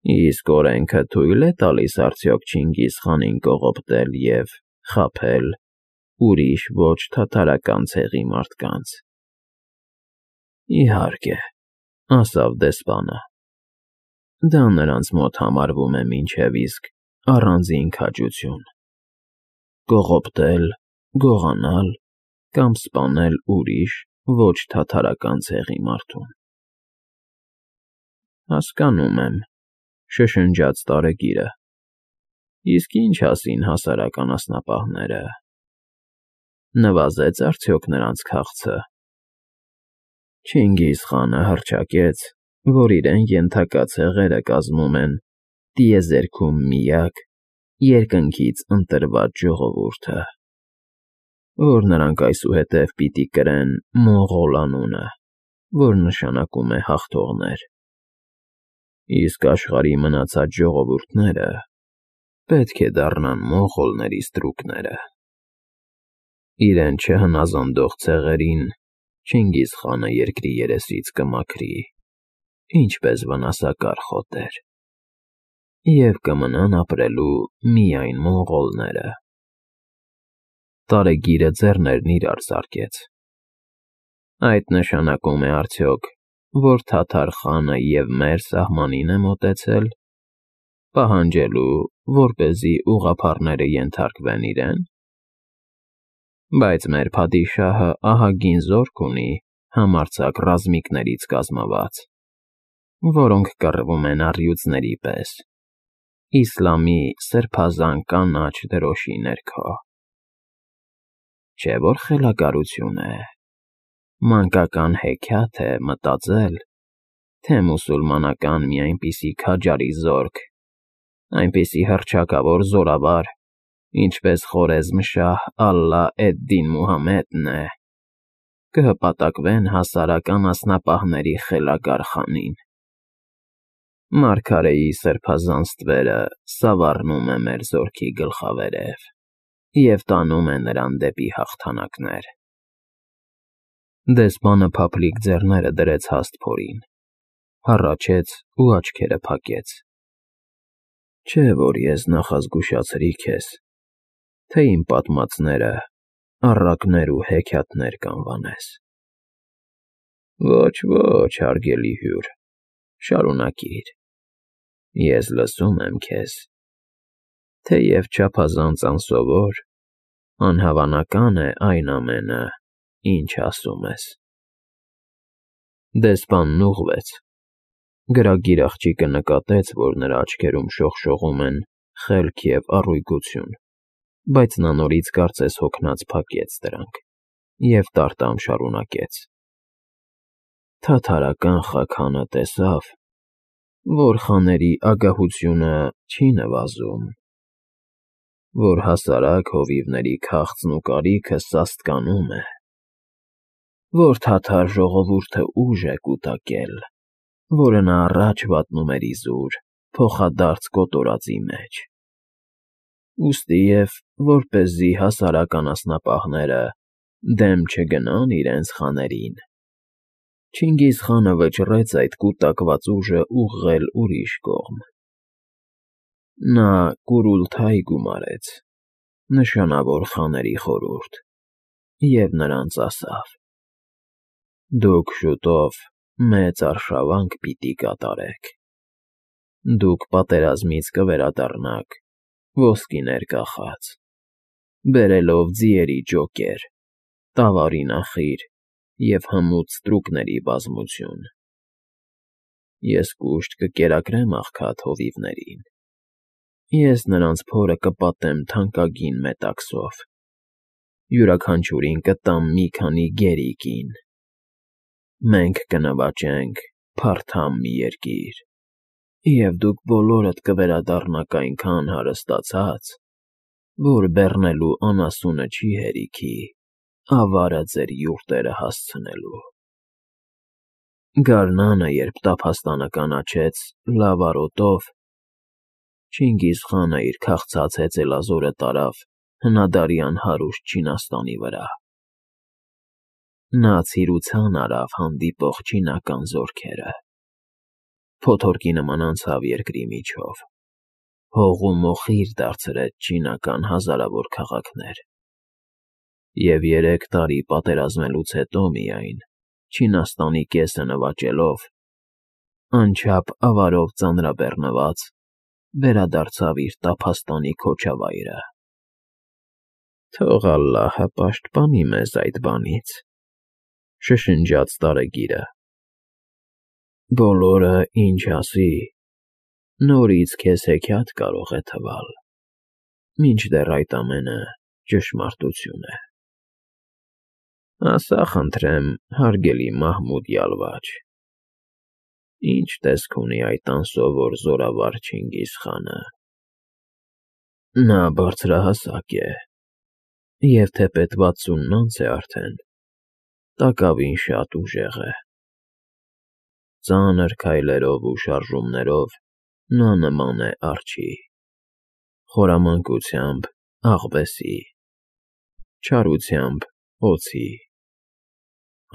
Իսկ օրենքը թույլ է տալիս արդյոք Չինգիզխանին կողոպտել և խաբել ուրիշ ոչ թաթարական ցեղի մարդկանց։ Իհարկե, ասավ դեսպանը, դա նրանց մոտ համարվում է մինչև իսկ առանձին քաջություն. կողոպտել, գողանալ կամ սպանել ուրիշ ոչ թաթարական ցեղի մարդուն։ Հասկանում եմ, շշնջաց տարեգիրը, իսկ ինչ ասին հասարակ անասնապահները, նվազե՞ց արդյոք նրանց քաղցը։ Չինգիզխանը հռչակեց, որ իրեն ենթակա ցեղերը կազմում են տիեզերքում միակ երկնքից ընտրված ժողովուրդը, որ նրանք այսուհետև պիտի կրեն մոնղոլ անունը, որ նշանակում է հաղթողներ, իսկ աշխարհի մնացած ժողովուրդները պետք է դառնան մոնղոլների ստրուկները։ Իրեն չհնազանդող ցեղերին Չինգիզխանը երկրի երեսից կմաքրի, ինչպես վնասակար խոտեր, և կմնան ապրելու միայն մոնղոլները։ Տարեգիրը ձեռներն իրար զարկեց։ Այդ նշանակում է արդյոք, որ Թաթար խանը և մեր սահմանին է մոտեցել, պահանջելու, որպեսզի ուղղափառները ենթարկվեն իրեն։ Բայց մեր փադիշահը ահագին զորք ունի համարձակ ռազմիկներից կազմված, որոնք կռվում են առյուծների պես, իսլամի սրբազան կանաչ դրոշի ներքո։ Չէ՞ որ խելագարություն է, մանկական հեքիաթ է մտածել, թե մուսուլմանական մի այնպիսի քաջարի զորք, այնպիսի հռչակավոր զորավար, ինչպես Խորեզմշահ Ալլա էդ֊Դին Մուհամմեդն է, կհպատակվեն հասարակ անասնապահների խելագար խանին։ Մարգարեի սրբազան ստվերը սավառնում է մեր զորքի գլխավերև և տանում է նրան դեպի հաղթանակներ։ Դեսպանը փափլիկ ձեռները դրեց հաստ փորին, հառաչեց ու աչքերը փակեց։ Չէ՞ որ ես նախազգուշացրի քեզ, թե իմ պատմածները առակներ ու հեքիաթներ կանվանես։ Ոչ, ոչ, հարգելի հյուր, շարունակիր, ես լսում եմ քեզ, թեև չափազանց անսովոր, անհավանական է այն ամենը, ինչ ասում ես։ Դեսպանն ուղղվեց։ Գրագիր աղջիկը նկատեց, որ նրա աչքերում շողշողում են խելք և առույգություն, բայց նա նորից կարծես հոգնած փակեց դրանք և տարտամ շարունակեց. Թաթարական խաքանը տեսավ, որ խաների ագահությունը չի նվազում, որ հասարակ հովիվների քաղցն ու կարիքը սաստկանում է, որ թաթար ժողովուրդը ուժ է կուտակել, որը նա առաջ վատնում էր իզուր, փոխադարձ կոտորածի մեջ։ Ուստի և որպեսզի հասարակ անասնապահները դեմ չգնան իրենց խաներին, Չինգիզխանը վճռեց այդ կուտակված ուժը ուղղել ուրիշ կողմ։ Նա Կուրուլթայ գումարեց, նշանավոր խաների խորհուրդ, և նրանց ասավ. «Դուք շուտով մեծ արշավանք պիտի կատարեք։ Դուք պատերազմից կվերադառնաք ոսկիներ կախած, բերելով ձիերի ջոկեր, տավարի նախիր և հմուտ ստրուկների բազմություն։ Ես կուշտ կկերակրեմ աղքատ հովիվներին, ես նրանց փորը կպատեմ թանկագին մետաքսով, յուրաքանչյուրին կտամ մի քանի գերի կին։ Մենք կնվաճենք փարթամ մի երկիր, և դուք բոլորդ կվերադառնաք այնքան հարստացած, որ բեռնելու անասունը չի հերիքի ավարը ձեր յուրտերը հասցնելու»։ Գարնանը, երբ տափաստանը կանաչեց լավ արոտով, Չինգիզխանը իր քաղցած հեծելազորը տարավ հնադարյան հարուստ Չինաստանի վրա։ Նա ցիրուցան արավ հանդիպող չինական զորքերը։ Փոթորկի նման անցավ երկրի միջով, հողում մոխիր դարձրեց չինական հազարավոր քաղաքներ, և 3 տարի պատերազմելուց հետո միայն, Չինաստանի կեսը նվաճելով, անչափ ավարով ծանրաբեռնված, վերադարձավ իր տափաստանի քոչավայրը։ «Թող ալլահը պաշտպանի մեզ այդ բանից», շշնջաց տարեգիրը։ «Բոլորը, ինչ ասի, նորից քեզ հեքիաթ կարող է թվալ, մինչդեռ այդ ամենը ճշմարտություն է։ Ասա խնդրեմ, հարգելի Մահմուդ յալվաչ, ի՞նչ տեսք ունի այդ անսովոր զորավար Չինգիզխանը։ Նա բարձրահասակ է, և թեպետ 60 անց է արդեն, տակավին շատ ուժեղ է։ Ծանր քայլերով ու շարժումներով նա նման է արջի, խորամանկությամբ աղվեսի, չարությամբ օձի,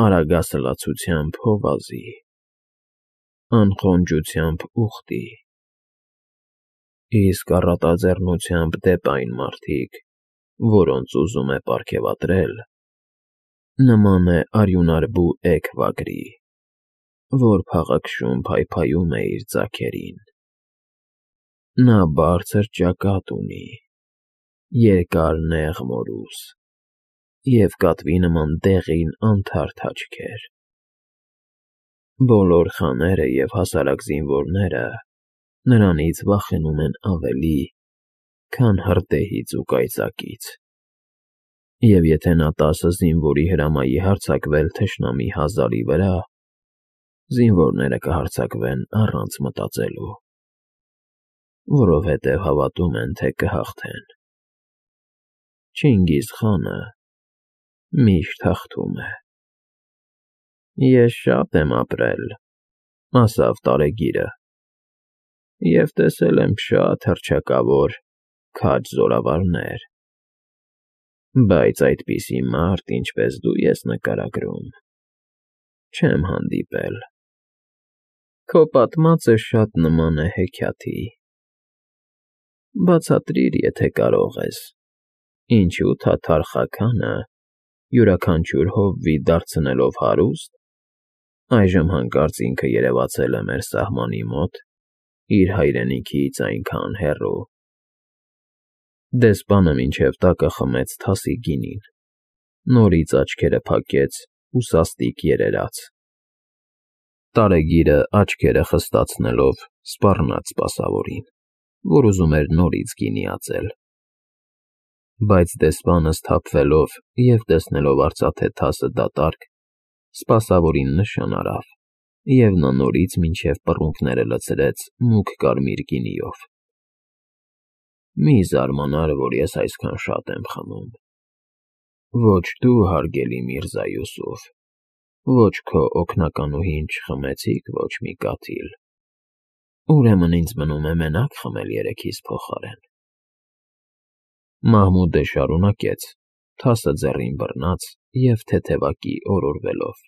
արագասլացությամբ հովազի, անխոնջությամբ ուղտի, իսկ առատաձեռնությամբ դեպ այն մարդիկ, որոնց ուզում է պարգևատրել, նման է արյունարբու էգ վագրի, որ փաղաքշում փայփայում է իր ձագերին։ Նա բարձր ճակատ ունի, երկար նեղ մորուս և կատվի նման դեղին անթարթ աչքեր։ Բոլոր խաները և հասարակ զինվորները նրանից վախենում են ավելի, քան հրդեհից ու կայծակից, և եթե նա 10 զինվորի հրամայի հարձակվել թշնամի 1000-ի վրա, զինվորները կհարձակվեն առանց մտածելու, որովհետև հավատում են, թե կհաղթեն։ Չինգիզխանը միշտ հաղթում է։ Ես շատ եմ ապրել, ասավ տարեգիրը, և տեսել եմ շատ հռչակավոր, քաջ զորավարներ, բայց այդպիսի մարդ, ինչպես դու ես նկարագրում, չեմ հանդիպել։ Քո պատմածը շատ նման է հեքիաթի։ Բացատրիր, եթե կարող ես, ինչու թաթար խաքանը, յուրաքանչյուր հովվի դարձնելով հարուստ, այժմ հանկարծ ինքը երևացել է մեր սահմանի մոտ, իր հայրենիքից այնքան հեռու։ Դեսպանը մինչև տակը խմեց թասի գինին, նորից աչքերը փակեց ու սաստիկ երերաց։ Տարեգիրը աչքերը խստացնելով սպառնաց սպասավորին, որ ուզում էր նորից գինի ածել։ Բայց դեսպանը սթափվելով և տեսնելով արծաթե թասը դատարկ, սպասավորին նշան արավ, և նա նորից մինչև պռունգները լցրեց մուգ կարմիր գինիով։ Մի զարմանար, որ ես այսքան շատ եմ խմում։ Ոչ դու, հարգելի Միրզա Յուսուֆ, ոչ քո օգնականուհին չխմեցիք ոչ մի կաթիլ, ուրեմն ինձ մնում է մենակ խմել երեքիս փոխարեն։ Մահմուդը շարունակեց, թասը ձեռին բռնած և թեթևակի օրորվելով.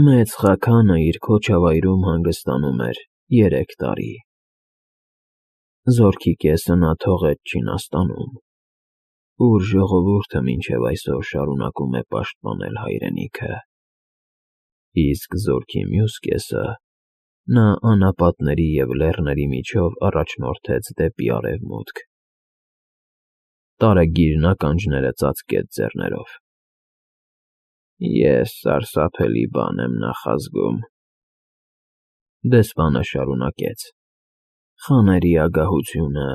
Մեծ խաքանը իր քոչավայրում հանգստանում էր 3 տարի։ Զորքի կեսը նա թողեց Չինաստանում, ուր ժողովուրդը մինչև այսօր շարունակում է պաշտպանել հայրենիքը, իսկ զորքի մյուս կեսը նա անապատների և լեռների միջով առաջնորդեց դեպի արևմուտք։ Տարեգիրն ականջները ծածկեց ձեռներով։ Ես սարսափելի բան եմ նախազգում։ Դեսպանը շարունակեց. Խաների ագահությունը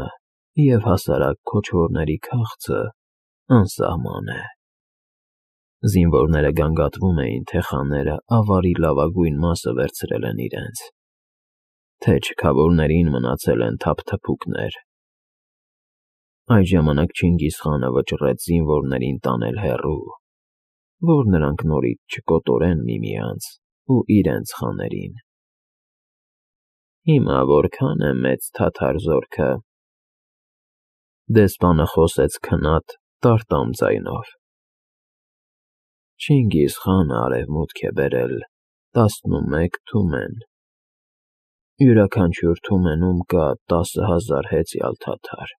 և հասարակ քոչվորների քաղցը անսահման է։ Զինվորները գանգատվում էին, թե խաները ավարի լավագույն մասը վերցրել են իրենց, թե չքավորներին մնացել են թափթփուկներ։ Այդ ժամանակ Չինգիզխանը վճռեց զինվորներին տանել հեռու, որ նրանք նորից չկոտորեն միմյանց ու իրենց խաներին։ Հիմա որքան է մեծ թաթար զորքը։ Դեսպանը խոսեց քնած, տարտամ ձայնով։ Չինգիզխանը արևմուտք է բերել 11 թումեն, յուրաքանչյուր թումենում կա 10,000 հեծյալ թաթար,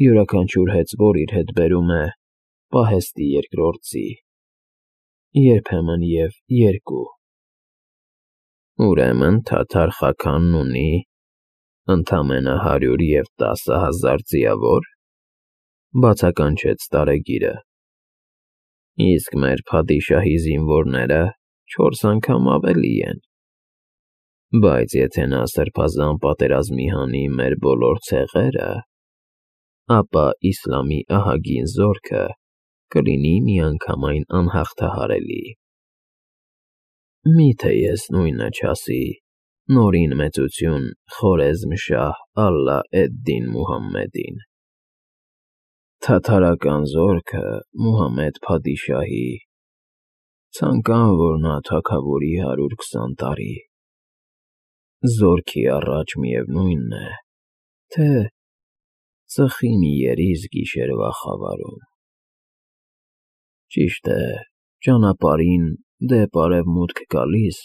յուրաքանչյուր հեծվոր իր հետ բերում է պահեստի երկրորդ ձի, երբեմն և 2, ուրեմն թաթար խաքանն ունի ընդամենը 110,000 ձիավոր, բացականչեց տարեգիրը, իսկ մեր փադիշահի զինվորները 4 անգամ ավելի են, բայց եթե նա սրբազան պատերազմի հանի մեր բոլոր ցեղերը, ապա իսլամի ահագին զորքը կլինի միանգամայն անհաղթահարելի։ Մի՞թե ես նույնը չասի նորին մեծություն Խորեզմ-շահ Ալլա էդ-Դին Մուհամմեդին։ Թաթարական զորքը Մուհամմեդ փադիշահի, ցանկան որ նա թագավորի 120 տարի, զորքի առաջ միևնույն է, թե ծխի մի երիզ գիշերվա խավարում։ Ճիշտ է, ճանապարհին դեպ արևմուտք գալիս,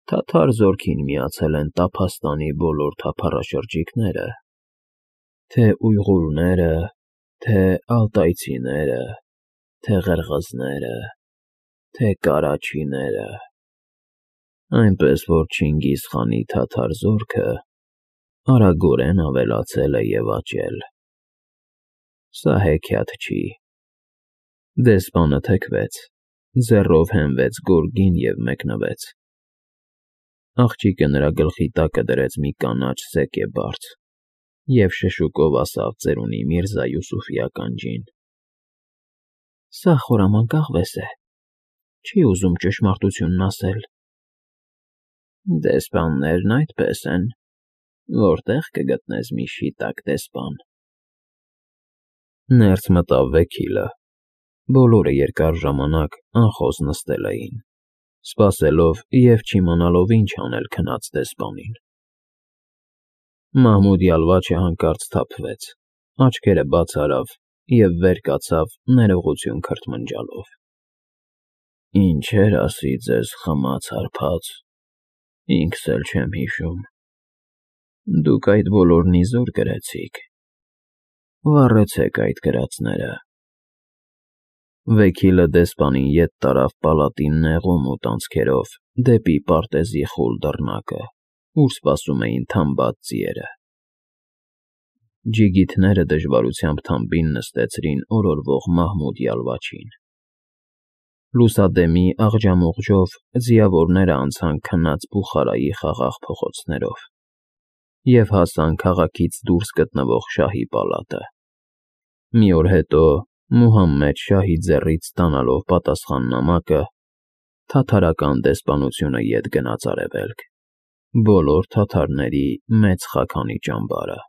թաթար զորքին միացել են Տափաստանի բոլոր թափառաշրջիկները, թե ույղուրները, թե ալտայցիները, թե ղրղըզները, թե կարաչիները, այնպես որ Չինգիզ խանի թաթար զորքը արագորեն ավելացել է և աճել։ Սա հեքիաթ չի։ Դեսպանը թեքվեց, ձեռով հենվեց գորգին և մեկնվեց։ Աղջիկը նրա գլխի տակը դրեց մի կանաչ սեկե֊բարձ և շշուկով ասավ ծերունի Միրզա Յուսուֆի ականջին. «Սա խորամանկ աղվես է, չի ուզում ճշմարտությունն ասել»։ Դեսպաններն այդպես են, որտե՞ղ կգտնես մի շիտակ դեսպան։ Ներս մտավ Վեքիլը, բոլորը երկար ժամանակ անխոս նստել էին, սպասելով և չիմանալով ինչ անել քնած դեսպանին։ Մահմուդ Յալվաչը հանկարծ սթափվեց, աչքերը բաց արավ և վեր կացավ ներողություն քրթմնջալով։ Ինչեր ասի ձեզ խմած հարբած, ինքս էլ չեմ հիշում։ Դուք այդ բոլորն իզուր գրեցիք, վառեցեք այդ գրածները։ Վեքիլը դեսպանին ետ տարավ պալատի նեղումուտ անցքերով դեպի պարտեզի խուլ դռնակը, ուր սպասում էին թամբած ձիերը։ Ջիգիթները դժվարությամբ թամբին նստեցրին օրորվող Մահմուդ Յալվաչին։ Լուսադեմի աղջամուղջով ձիավորները անցան քնած Բուխարայի խաղաղ փողոցներով և հասան քաղաքից դուրս գտնվող շահի պալատը։ Մի օր հետո, Մուհամմեդ շահի ձեռից ստանալով պատասխան նամակը, թաթարական դեսպանությունը ետ գնաց արևելք, բոլոր թաթարների մեծ խաքանի ճամբարը։